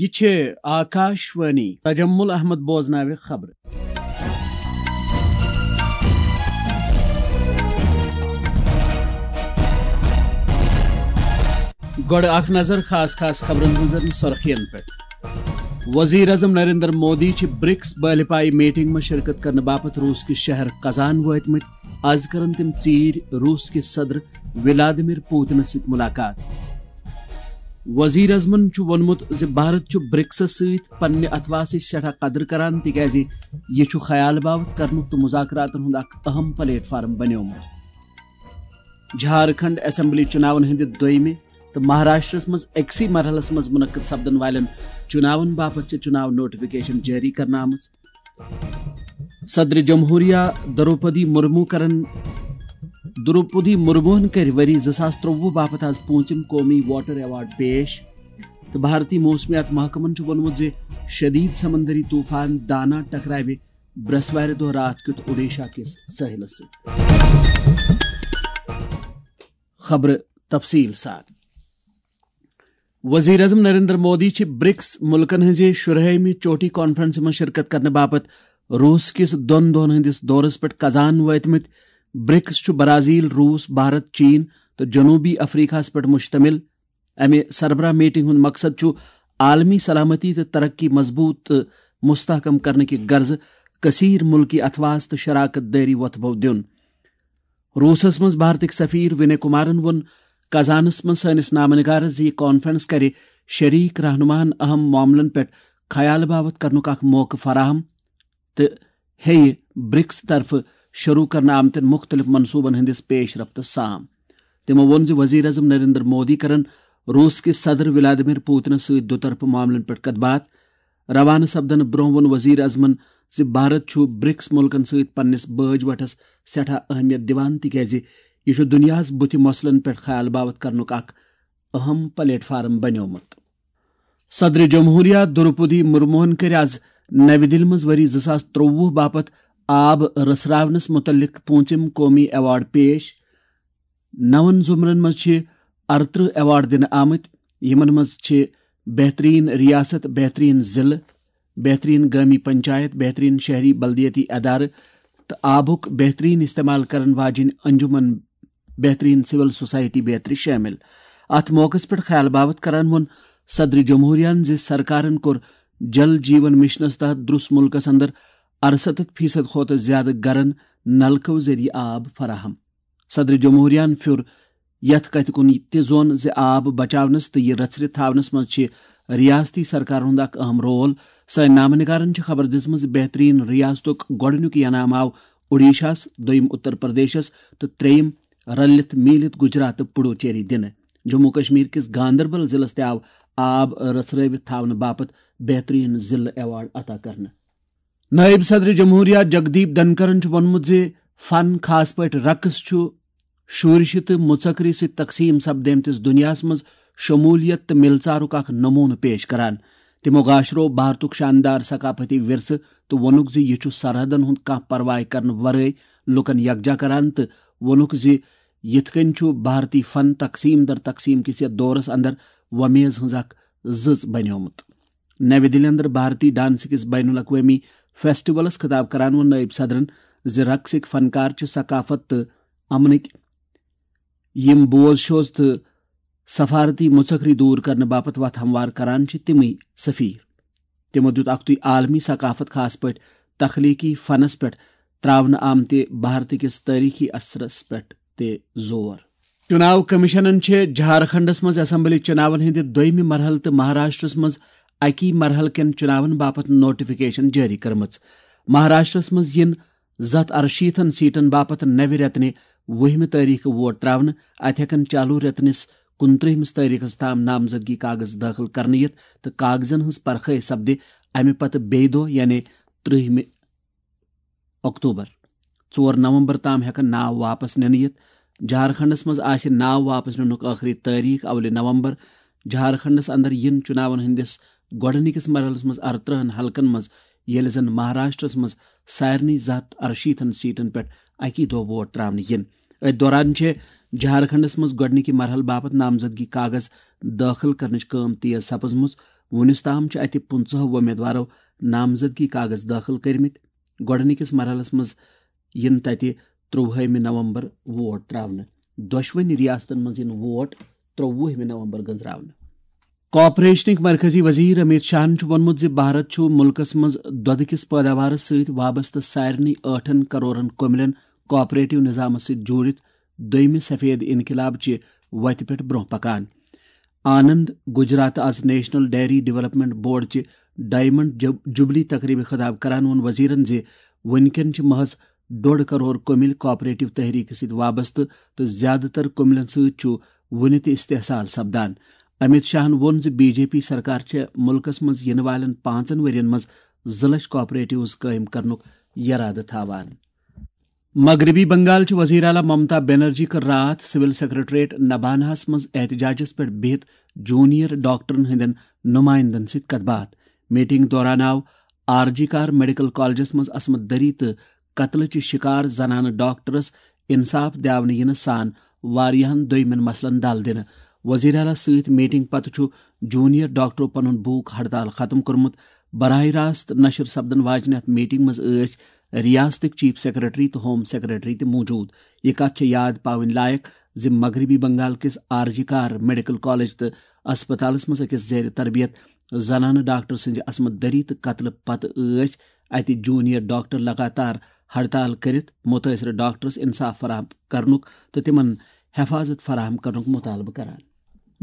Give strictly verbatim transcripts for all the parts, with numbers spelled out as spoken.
یہِ چھِ آکاش وانی۔ تجمل احمد بوزناوِ خبرٕ۔ گۄڈٕ اکھ نظر خاص خاص خبرن ہٕنٛزن سرخین پٮ۪ٹھ۔ وزیر اعظم نریندر مودی چھِ برکس بٲلہِ پایہِ میٹنگ منٛز شرکت کرنہٕ باپتھ روٗس کِس شہر قزان وٲتمٕتۍ۔ از کرن تِم ژیٖرۍ روٗس کِس صدر ولادیمیر پوتنس سۭتۍ ملاقات۔ وزیر اعظمن چھُ ووٚنمُت زِ بھارت چھُ برکسس سۭتۍ پننہِ اتھواسٕچ سٮ۪ٹھاہ قدر کران، تِکیازِ یہِ چھُ خیال باوت کرنُک تہٕ مذاکراتن ہُنٛد اکھ اہم پلیٹ فارم بنیومُت۔ جھارکھنڈ اسمبلی چُناون ہٕنٛدِ دوٚیمہِ تہٕ مہاراشٹرس منٛز أکسٕے مرحلس منٛز منعقد سپدن والٮ۪ن چُناون باپتھ چھِ چُناو نوٹیفکیشن جٲری کرنہٕ آمٕژ۔ صدر جمہوریہ دروپدی مرمو کرن دروپدی مرموہن کٔرۍ ؤری زٕ ساس ترٛۆوُہ باپتھ آز پوٗنٛژِم قومی واٹر ایوارڈ پیش، تہٕ بھارتی موسمیات محکمن چھُ ووٚنمُت زِ شدید سمندری طوفان دانا ٹکراوِ برٛٮ۪سوارِ دۄہ راتھ کیُتھ اوڈیشا کِس سٲحلس سۭتۍ۔ خبرٕ تفصیل سان۔ وزیر اعظم نریندر مودی چھِ برکس ملکن ہٕنٛزِ شُرہٲیمہِ چوٹی کانفرنسہِ منٛز شرکت کرنہٕ باپتھ روٗس کِس دۄن دۄہن ہٕنٛدِس دورس پٮ۪ٹھ قزان وٲتمٕتۍ۔ برکس چھُ برازیل، روٗس، بھارت، چین تہٕ جنوبی افریقہس پٮ۪ٹھ مشتمل۔ امہِ سربراہ میٹنگ ہُنٛد مقصد چھُ عالمی سلامتی تہٕ ترقی مضبوط تہٕ مستحکم کرنہٕ کہِ غرضہٕ کثیر ملکی اتھواس تہٕ شراکت دٲری وۄتھٕ بو دیُن۔ روٗسس منٛز بھارتٕکۍ سفیر وِنے کمارن ووٚن قزانس منٛز سٲنِس نامہ نگارس زِ یہِ کانفرنس کرِ شریک رہنماہن اہم معاملن پٮ۪ٹھ خیال باوت کرنُک اکھ موقعہٕ فراہم تہٕ ہیٚیہِ برکس طرفہٕ شروع کرنہٕ آمتٮ۪ن مُختٔلِف منصوٗبن ہٕنٛدِس پیش رفتس سام۔ تِمو ووٚن زِ وزیر اعظم نریندر مودی کرن روٗس کِس صدر ولادیمیر پوتنس سۭتۍ دُطرفہٕ معاملن پٮ۪ٹھ کتھ باتھ۔ روانہٕ سپدنہٕ برٛونٛہہ ووٚن وزیر اعظمن زِ بھارت چھُ برکس مُلکن سۭتۍ پننِس بٲج وٹھس سٮ۪ٹھاہ اہمیت دِوان، تِکیازِ یہِ چھُ دُنیاہس بُتھِ مسلن پٮ۪ٹھ خیال باوت کرنُک اکھ اہم پلیٹ فارم بنیومُت۔ صدر جمہوریہ دروپدی مرموہن کٔرۍ از نَوِ دِلہِ منٛز ؤری زٕ ساس ترٛۆوُہ باپتھ آب رٔژھراونس مُتعلق پوٗنٛژِم قومی ایوارڈ پیش۔ نون زمرن منٛز چھِ ارترٕہ ایوارڈ دِنہٕ آمٕتۍ، یِمن منٛز چھِ بہترین ریاست، بہترین ضلعہٕ، بہترین گٲمی پنچایت، بہترین شہری بلدیٲتی ادارٕ تہٕ آبُک بہترین استعمال کرن واجیٚنۍ انجمن، بہترین سول سوسائٹی بیترِ شٲمِل۔ اتھ موقعس پٮ۪ٹھ خیال باوت کران ووٚن صدر جمہوریہن زِ سرکارن کوٚر جل جیون مشنس تحت درٛس مُلکس اندر ارستتھ فیصد کھۄتہٕ زیادٕ گرن نلکو ذٔریعہٕ آب فراہم۔ صدر جمہوریہن پھیُر یتھ کتھِ کُن تہِ زون زِ آب بچاونس تہٕ یہِ رژھرِ تھاونس منٛز چھِ ریاستی سرکارن ہُنٛد اکھ اہم رول۔ سٲنۍ نامہ نگارن چھِ خبر دِژمٕژ زِ بہترین ریاستُک گۄڈٕنیُک انعام آو اوڈیشاہس، دوٚیِم اتر پردیشس تہٕ ترٛیٚیِم رلِتھ میٖلِتھ گجرات تہٕ پڈوچیری دِنہٕ۔ جموں کشمیر کِس گاندربل ضلعس تہِ آو آب رژھرٲوِتھ تھاونہٕ باپتھ بہترین ضلعہٕ ایوارڈ عطا کرنہٕ۔ نائب صدر جمہوریہ جگدیپ دھنکرن چھُ ووٚنمُت زِ فن، خاص پٲٹھۍ رقص، چھُ شورشہِ تہٕ مُژکری سۭتۍ تقسیٖم سپدیمتِس دُنیاہَس منٛز شمولیت تہٕ مِلژارُک اکھ نموٗنہٕ پیش کران۔ تِمو گاشرو بھارتُک شاندار ثقافتی ورثہٕ تہٕ ووٚنُکھ زِ یہِ چھُ سرحدن ہُنٛد کانٛہہ پرواے کرنہٕ ورٲے لوٗکن یکجا کران تہٕ ووٚنُکھ زِ یِتھ کٔنۍ چھُ بھارتی فن تقسیٖم در تقسیٖم کِس یَتھ دورس اندر وۄمیز ہٕنٛز اکھ زٕژ بنیومُت۔ نَوِ دِلہِ اندر بھارتی ڈانس کِس بین الاقوٲمی فیسٹیولس خطاب کران ووٚن نائب صدرن زِ رقصٕکۍ فنکار چھِ ثقافت تہٕ امنٕکۍ یِم بوز شوز تہٕ سفارتی مُژکری دوٗر کرنہٕ باپتھ وتھ ہموار کران چھِ، تِمٕے سفیر۔ تِمو دیُت اکھتُے عالمی ثقافت، خاص پٲٹھۍ تخلیقی فنس پٮ۪ٹھ تراونہٕ آمتہِ بھارتہٕ کِس تٲریخی اثرس پٮ۪ٹھ تہِ زور۔ چُناو کمیشنن چھِ جھارکھنڈس منٛز اسمبلی چُناون ہٕنٛدِ دوٚیمہِ مرحلہٕ تہٕ مہاراشٹرس منٛز اَکی مرحلہٕ کٮ۪ن چُناون باپتھ نوٹیفکیشن جٲری کٔرمٕژ۔ مہاراشٹرس منٛز یِن زٕ ہتھ ارشیٖتھن سیٹن باپتھ نوِ رٮ۪تنہِ وُہمہِ تٲریخہٕ ووٹ تراونہٕ۔ اتہِ ہٮ۪کن چالو رٮ۪تنِس کُنترٛہمِس تٲریخس تام نامزدگی کاغذ دٲخل کرنہٕ یِتھ تہٕ کاغذن ہٕنٛز پرخٲے سپدِ امہِ پتہٕ بیٚیہِ دۄہ، یعنی ترٛہمہِ اکتوبر۔ ژور نومبر تام ہٮ۪کن ناو واپس نِنہٕ یِتھ۔ جھارکھنڈس منٛز آسہِ ناو واپس نِنُک ٲخری تٲریخ اولِ نومبر۔ جھارکھنڈس اندر یِن چُناون ہٕنٛدِس گۄڈٕنِکِس مرحلس منٛز ارترٕہن حلقن منٛز، ییٚلہِ زن مہاراشٹرس منٛز سارنٕے زٕ ہتھ ارشیٖتھن سیٹن پٮ۪ٹھ اَکی دۄہ ووٹ تراونہٕ یِن۔ أتھۍ دوران چھِ جھارکھنڈس منٛز گۄڈٕنِکہِ مرحلہٕ باپتھ نامزدگی کاغذ دٲخل کرنٕچ کٲم تیز سپٕزمٕژ۔ وُنیُس تام چھِ اَتہِ پٕنٛژٕہو وۄمیدوارو نامزدگی کاغذ دٲخل کٔرمٕتۍ۔ گۄڈٕنِکِس مرحلَس منٛز یِن تَتہِ ترٛۆوُہمہِ نومبر ووٹ ترٛاونہٕ۔ دۄشوٕنی ریاستَن منٛز یِن ووٹ ترٛۆوُہمہِ نومبر گٔنزراونہٕ۔ کارپوریشنٕکۍ مرکزی وزیر امیت شاہن چھُ ووٚنمُت زِ بھارت چھُ مُلکَس منٛز دۄدٕ کِس پٲداوارَس سۭتۍ وابستہٕ سارنٕے ٲٹھن کرورن کٔمِلٮ۪ن کارپوریٹو نظامَس سۭتۍ جوٗڑِتھ دوٚیمہِ سفید انقلاب چہِ وتہِ پٮ۪ٹھ برٛونٛہہ پکان۔ آنند گجرات آز نیشنل ڈیری ڈیولپمنٹ بورڈ چہِ ڈائمنڈ جب-، جوبلی تقریبہِ خطاب کران ووٚن وزیرن زِ وُنکٮ۪ن چھِ محض ڈوٚڈ کرور کٔمِلۍ کارپوریٹو تحریکہِ سۭتۍ وابستہٕ تہٕ زیادٕ تر کٔمِلٮ۪ن سۭتۍ چھُ وُنہِ تہِ استحصال سپدان۔ امیت شاہن ووٚن زِ بی جے پی سرکار چھےٚ مُلکَس منٛز یِنہٕ والٮ۪ن پانٛژن ؤرین منٛز زٕ لچھ کارپوریٹوز قٲیِم کرنُک یرادٕ تھاوان۔ مغربی بنگال چہِ وزیر اعلیٰ ممتا بنرجی کٔر راتھ سول سیکرٹریٹ نبانہس منٛز احتجاجس پٮ۪ٹھ بِہِتھ جونیئر ڈاکٹرن ہٕنٛدٮ۪ن نمائندن سۭتۍ کتھ باتھ۔ میٹنگ دوران آو آر جی کار میڈیکل کالجس منٛز عصمت دری تہٕ قتلٕچ شکار زنانہٕ ڈاکٹرس انصاف دِنہٕ یِنہٕ سان واریاہن دویمٮ۪ن مسلن دل دِنہٕ۔ وزیر اعلیٰ سۭتۍ میٹنگ پتہٕ چھُ جونیئر ڈاکٹرو پنُن بھوک ہڑتال ختم کوٚرمُت۔ براہ راست نشر سپدن واجنہِ اتھ میٹنگ منٛز ٲسۍ ریاستٕکۍ چیف سیکرٹری تہٕ ہوم سیکرٹری تہِ موجود۔ یہِ کتھ چھےٚ یاد پاوٕنۍ لایق زِ مغربی بنگال کِس آر جی کار میڈیکل کالج تہٕ اسپتالس منٛز أکِس زیر تربیت زنانہٕ ڈاکٹر سٕنٛزِ عصمت دری تہٕ قتلہٕ پتہٕ ٲسۍ اتہِ جونیئر ڈاکٹر لگاتار ہڑتال کٔرِتھ متٲثرٕ ڈاکٹرس انصاف فراہم کرنُک تہٕ تِمن حفاظت فراہم کرنُک مطالبہٕ کران۔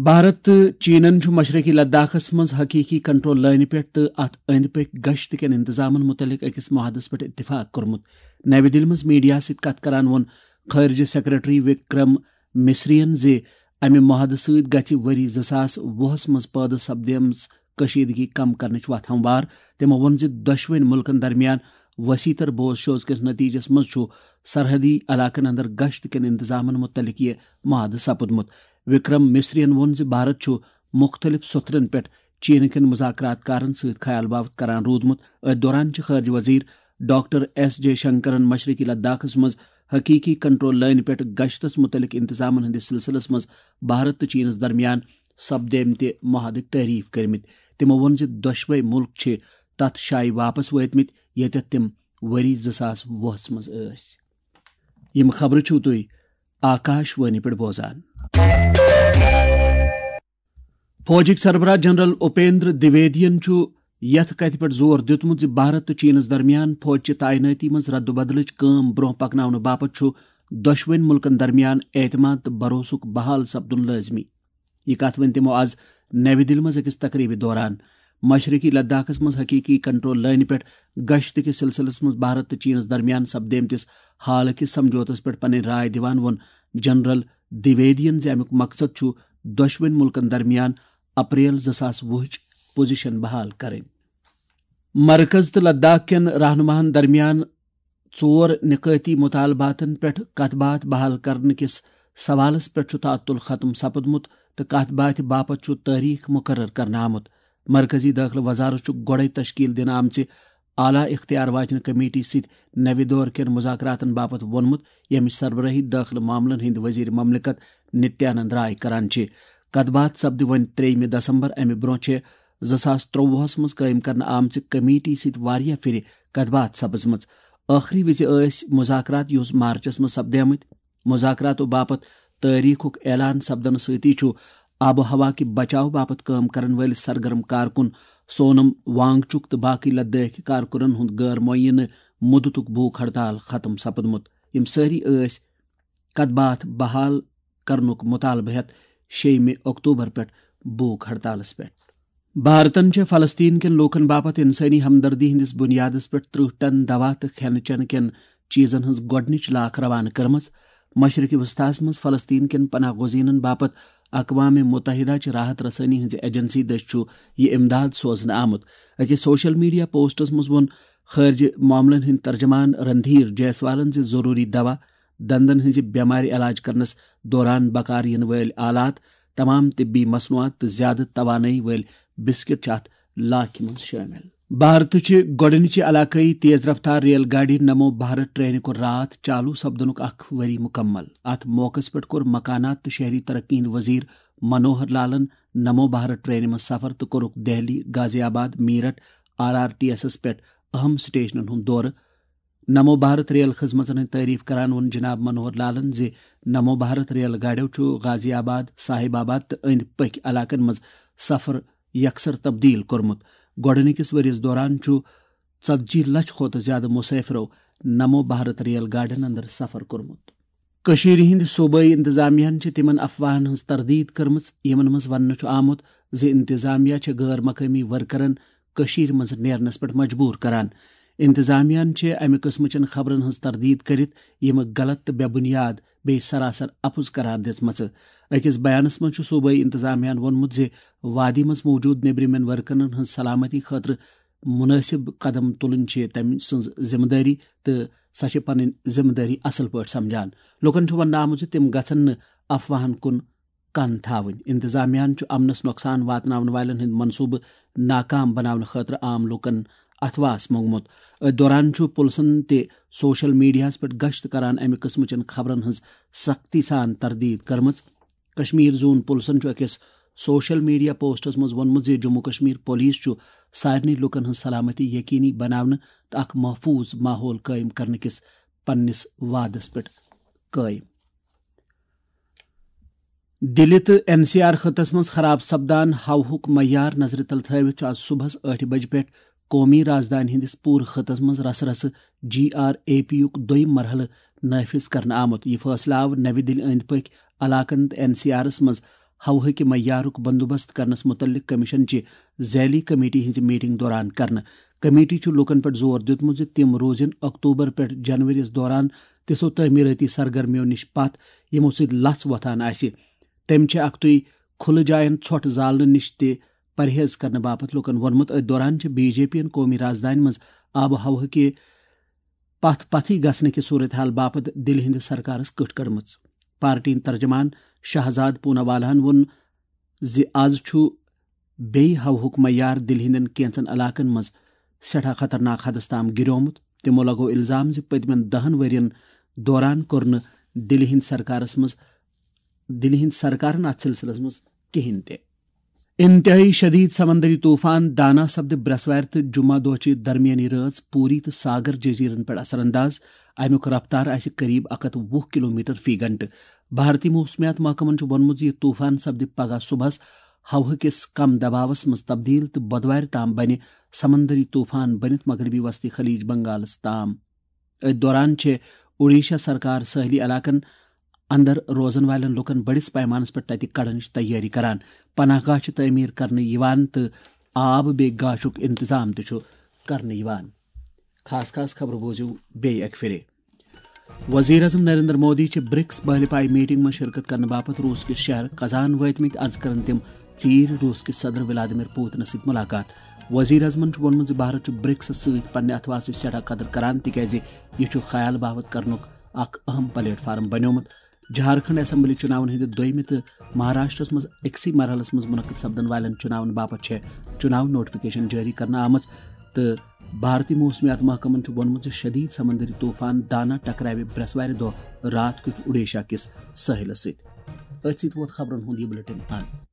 بھارت تہٕ چینن چھُ مشرقی لداخس منٛز حقیقی کنٹرول لٲنہِ پٮ۪ٹھ تہٕ اتھ أنٛدۍ پٔکۍ گشت کٮ۪ن انتظامن متعلق أکِس معاہدس پٮ۪ٹھ اتفاق کوٚرمُت۔ نَوِ دِلہِ منٛز میڈیاہَس سۭتۍ کتھ کران ووٚن خارجہ سیکرٹری وکرم مصریَن زِ امہِ معاہدٕ سۭتۍ گژھِ ؤری زٕ ساس وُہَس منٛز پٲدٕ سپدیمٕژ کشیدگی کم کرنٕچ وتھ ہموار۔ تٔمۍ ووٚن زِ دۄشوٕنۍ مُلکن درمیان وسیع تر بوز شوز کِس نتیجس منٛز چھُ سرحدی علاقن اندر گشت کٮ۪ن انتظامن متعلق یہِ معاہدٕ سپُدمُت۔ وکرم مصریَن ووٚن زِ بھارت چھُ مُختٔلِف سوٚتھرَن پٮ۪ٹھ چینہٕ کٮ۪ن مذاکرات کارَن سۭتۍ خیال باوت کران روٗدمُت۔ أتھۍ دوران چھِ خارجہ وزیر ڈاکٹر ایس جے شنکرَن مشرقی لداخَس منٛز حقیقی کنٹرول لٲنہِ پٮ۪ٹھ گشتَس مُتعلق انتظامَن ہٕنٛدِس سلسلس منٛز بھارت تہٕ چینَس درمیان سپدیمتہِ معاہدٕکۍ تعریف کٔرمٕتۍ۔ تِمَو ووٚن زِ دۄشوے مُلک چھِ تَتھ جایہِ واپس وٲتمٕتۍ، ییٚتٮ۪تھ تِم ؤری زٕ ساس وُہَس منٛز ٲسۍ۔ یِم خبرٕ چھِو تُہۍ آکاش وانی پٮ۪ٹھ بوزان۔ فوجٕکۍ سربراہ جنرل اپیندر دویدین چھُ یتھ کتھِ پٮ۪ٹھ زور دیُتمُت زِ بھارت تہٕ چینس درمیان فوجچہِ تعینٲتی منٛز ردُبدلٕچ کٲم برونٛہہ پکناونہٕ باپتھ چھُ دۄشوٕنۍ مُلکن درمیان اعتماد تہٕ بھروسُک بحال سپدُن لٲزمی۔ یہِ کتھ ؤنۍ تِمو از نَوِ دِلہِ منٛز أکِس تقریبہِ دوران۔ مشرقی لداخس منٛز حقیقی کنٹرول لٲنہِ پٮ۪ٹھ گشت کِس سلسلس منٛز بھارت تہٕ چینس درمیان سپدیمتِس حالہٕ کِس سمجھوتس پٮ۪ٹھ پنٕنۍ راے دِوان ووٚن جنرل دویدین زِ امیُک مقصد چھُ دۄشوٕنۍ مُلکن درمیان اپریل زٕ ساس وُہٕچ پوزیشن بحال کرٕنۍ۔ مرکز تہٕ لداخ کٮ۪ن رہنماہن درمیان ژور نکٲتی مطالباتن پٮ۪ٹھ کتھ باتھ بحال کرنہٕ کِس سوالس پٮ۪ٹھ چھُ تعطل ختم سپُدمُت تہٕ کتھ باتھِ باپتھ چھُ تٲریخ مقرر کرنہٕ آمُت۔ مرکزی دٲخلہٕ وزارت چھُ گۄڈَے تشکیل دِنہٕ آمژِ اعلیٰ اختیار واجنہِ کمیٹی سۭتۍ نوِ دور کٮ۪ن مذاکراتن باپتھ ووٚنمُت، ییٚمِچ سربرٲہی دٲخلہٕ معاملن ہٕنٛدۍ وزیر مملکت نتیانند رائے کران چھِ۔ کتھ باتھ سپدِ وۄنۍ ترٛیٚیِمہِ دسمبر۔ امہِ برونٛہہ چھِ زٕ ساس ترٛۆوُہَس منٛز قٲیِم کرنہٕ آمژِ کمیٹی سۭتۍ واریاہ پھِرِ کتھ باتھ سپٕزمٕژ۔ ٲخری وِزِ ٲسۍ مذاکرات یُس مارچس منٛز سپدیمٕتۍ۔ مذاکراتو باپتھ تٲریخُک اعلان سپدنہٕ سۭتی چھُ آب و ہوا کہِ بچاو باپتھ کٲم کرن وٲلۍ سرگرم کارکُن سونم وانگ چُک تہٕ باقٕے لدٲخۍ کارکُنن ہُنٛد غٲر معینہٕ مُدتُک بھوک ہڑتال ختم سپُدمُت۔ یِم سٲری ٲسۍ کتھ باتھ بحال کرنُک مطالبہٕ ہٮ۪تھ شیٚیِمہِ اکتوبر پٮ۪ٹھ بھوک ہڑتالس پٮ۪ٹھ۔ بھارتن چھےٚ فلسطین کٮ۪ن لوٗکن باپتھ انسٲنی ہمدردی ہٕنٛدِس بُنیادس پٮ۪ٹھ ترٕٛہ ٹن دوا تہٕ کھٮ۪نہٕ چٮ۪نہٕ کٮ۪ن چیٖزن ہٕنٛز گۄڈٕنِچ لاکھ روانہٕ کٔرمٕژ۔ مشرق وسطیٰ ہَس منٛز فلسطین کٮ۪ن پناہ گزینن باپتھ اقوام متحدہ چہِ راحت رسٲنی ہٕنٛزِ ایجنسی دٔسۍ چھُ یہِ امداد سوزنہٕ آمُت۔ أکِس سوشل میڈیا پوسٹس منٛز ووٚن خارجہ معاملن ہٕنٛدۍ ترجمان رندھیر جیسوالن زِ ضروٗری دوا، دندن ہٕنٛزِ بٮ۪مارِ علاج کرنس دوران بکار یِنہٕ وٲلۍ آلات، تمام طبی مصنوعات تہٕ زیادٕ توانٲیی وٲلۍ بسکٹ چھِ اتھ لاکھہِ منٛز شٲمِل۔ بھارتٕچہِ گۄڈٕنِچہِ علاقٲیی تیز رفتار ریل گاڑی نمو بھارت ٹرینہِ کوٚر راتھ چالو سپدنُک اکھ ؤری مکمل۔ اتھ موقعس پٮ۪ٹھ کوٚر مکانات تہٕ شہری ترقی ہٕنٛدۍ وزیر منوہر لالن نمو بھارت ٹرینہِ منٛز سفر تہٕ کوٚرُکھ Delhi, Ghaziabad, Meerut, R R T ایسس پٮ۪ٹھ اہم سٹیشنن ہُنٛد دورٕ۔ نمو بھارت ریل خدمژن ہٕنٛز تعریف کران ووٚن جناب منوہر لالن زِ نمو بھارت ریل گاڑیو چھُ غازی آباد، صاحب آباد تہٕ أنٛدۍ پٔکۍ علاقن منٛز سفر یکسر تبدیل کوٚرمُت۔ گۄڈٕنِکِس ؤرِیَس دوران چھُ ژتجی لچھ کھۄتہٕ زیادٕ مسافرو نمو بھارت ریل گاڑٮ۪ن اندر سفر کوٚرمُت۔ کٔشیٖرِ ہٕنٛدِ صوبٲئی انتظامیہن چھِ تِمن افواہن ہٕنٛز تردید کٔرمٕژ، یِمن منٛز وننہٕ چھُ آمُت زِ انتظامیہ چھِ غٲر مقٲمی ورکرن کٔشیٖرِ منٛز نیرنس پٮ۪ٹھ مجبوٗر کران۔ انتظامیہن چھِ امہِ قٕسمٕچن خبرن ہٕنٛز تردید کٔرِتھ یِم غلط تہٕ بے بُنیاد بیٚیہِ سراسر اپُز قرار دِژمژٕ۔ أکِس بیانس منٛز چھُ صوبٲئی انتظامیہن ووٚنمُت زِ وادی منٛز موجود نیبرِمٮ۪ن ورکرن ہٕنٛز سلامتی خٲطرٕ مُنٲسِب قدم تُلٕنۍ چھِ تٔمۍ سٕنٛز ذمہٕ دٲری تہٕ سۄ چھِ پنٕنۍ ذمہٕ دٲری اصل پٲٹھۍ سمجھان۔ لوٗکن چھُ وننہٕ آمُت زِ تِم گژھن نہٕ افواہن کُن کن تھاوٕنۍ۔ انتظامیہن چھُ امنس نۄقصان واتناون والٮ۪ن ہٕنٛدۍ منصوٗبہٕ ناکام بناونہٕ خٲطرٕ عام لوٗکن اتھواس موٚنگمُت۔ أتھۍ دوران چھُ پُلسن تہِ سوشل میڈیاہس پٮ۪ٹھ گشت کران امہِ قٕسمٕچن خبرن ہٕنٛز سختی سان تردید کٔرمٕژ۔ کشمیر زون پُلسن چھُ أکِس سوشل میڈیا پوسٹس منٛز ووٚنمُت زِ جموں کشمیر پولیس چھُ سارنٕے لوٗکن ہٕنٛز سلامتی یقینی بناونہٕ تہٕ اکھ محفوظ ماحول قٲیِم کرنہٕ کِس پننِس وعدس پٮ۪ٹھ قٲیِم۔ دِلہِ تہٕ این سی آر خطس منٛز خراب سپدان ہوہُک معیار نظرِ تل تھٲوِتھ چھُ آز صبحس ٲٹھِ بجہِ پٮ۪ٹھ قومی رازدانہِ ہٕنٛدِس پوٗرٕ خطس منٛز رسہٕ رسہٕ جی آر اے پی یُک دوٚیِم مرحلہٕ نافذ کرنہٕ آمُت۔ یہِ فٲصلہٕ آو نَوِ دِلہِ أنٛدۍ پٔکۍ علاقن تہٕ این سی آرس منٛز ہوہٕکہِ معیارُک بندوبست کرنس مُتعلق کمیشن چہِ ذیلی کمیٹی ہٕنٛزِ میٹنگ دوران کرنہٕ۔ کمیٹی چھُ لوٗکن پٮ۪ٹھ زور دیُتمُت زِ تِم روزن اکتوبر پٮ۪ٹھ جنوریَس دوران تِژھو تعمیرٲتی سرگرمیو نِش پتھ، یِمو سۭتۍ لژھ وۄتھان آسہِ۔ تٔمۍ چھِ اکھتُے کھُلہٕ جاین ژھۄٹھ زالنہٕ نِش تہِ پرہیز کرنہٕ باپتھ لوٗکن ووٚنمُت۔ أتھۍ دوران چھِ بی جے پی یَن قومی رازدانہِ منٛز آب و ہوہٕکہِ پتھ پتھٕے گژھنہٕ کہِ صورتحال باپتھ دِلہِ ہٕنٛدِ سرکارس کٔٹھ کٔڑمٕژ۔ پارٹی ہٕنٛدۍ ترجمان شہزاد پوناوالاہن ووٚن زِ از چھُ بیٚیہِ ہوہُک معیار دِلہِ ہٕنٛدٮ۪ن کینٛژن علاقن منٛز سٮ۪ٹھاہ خطرناک حدس تام گِریومُت۔ تِمو لگوو الزام زِ پٔتمٮ۪ن دَہن ؤرین دوران کوٚر نہٕ دِلہِ ہٕنٛدِ سرکارس منٛز، دِلہِ ہٕنٛدِ سرکارن اتھ سلسلس منٛز کِہینۍ تہِ۔ انتہٲئی شدید سمندری طوفان دانا سپدِ برٛٮ۪سوارِ تہٕ جمعہ دۄہ چہِ درمیٲنی رٲژ پوری تہٕ ساگر جزیرن پٮ۪ٹھ اثر انداز۔ امیُک رفتار آسہِ قریب اکھ ہتھ وُہ کلومیٹر فی گھنٹہٕ۔ بھارتی موسمیات محکمن چھُ ووٚنمُت زِ یہِ طوفان سپدِ پگہہ صبحس ہوہہٕ کِس کم دباوس منٛز تبدیل تہٕ بۄدوارِ تام بنہِ سمندری طوفان بٔنِتھ مغربی وسطی خلیج بنگالس تام۔ أتھۍ دوران چھِ اوڈیشہ سرکار سٲحلی علاقن اندر روزن والٮ۪ن لوٗکن بٔڑِس پیمانس پٮ۪ٹھ تتہِ کڑنٕچ تیٲری کران۔ پناہ گاہ چھِ تعمیٖر کرنہٕ یِوان تہٕ آب بیٚیہِ گاشُک انتظام تہِ چھُ کرنہٕ یِوان۔ خاص خاص خبرٕ بوٗزِو بیٚیہِ اکہِ پھِرِ۔ وزیر اعظم نریندر مودی چھِ برکس بحلہِ پایہِ میٹنگ منٛز شرکت کرنہٕ باپتھ روس کِس شہر قزان وٲتمٕتۍ۔ از کرن تِم ژیٖرۍ روس کِس صدر ولادیمیر پوتنس سۭتۍ ملاقات۔ وزیر اعظمن چھُ ووٚنمُت زِ بھارت چھُ برکسس سۭتۍ پننہِ اتھواسٕچ سٮ۪ٹھاہ قدر کران، تِکیازِ یہِ چھُ خیال باوت کرنُک اکھ اہم پلیٹ فارم بنیومُت۔ جھارکھنڈ اسمبلی چُناون ہٕنٛدِ دوٚیمہِ تہٕ مہاراشٹرس منٛز أکسٕے مرحلس منٛز منعقد سپدن والٮ۪ن چُناون باپتھ چھےٚ چُناو نوٹیفکیشن جٲری کرنہٕ آمٕژ تہٕ بھارتی موسمیات محکمن چھُ ووٚنمُت زِ شدید سمندری طوفان دانا ٹکراوِ برٛٮ۪سوارِ دۄہ راتھ کیُتھ اوڈیشہ کِس سٲحِلس سۭتۍ۔ أتھۍ سۭتۍ ووت خبرن ہُنٛد یہِ بلیٹن اند۔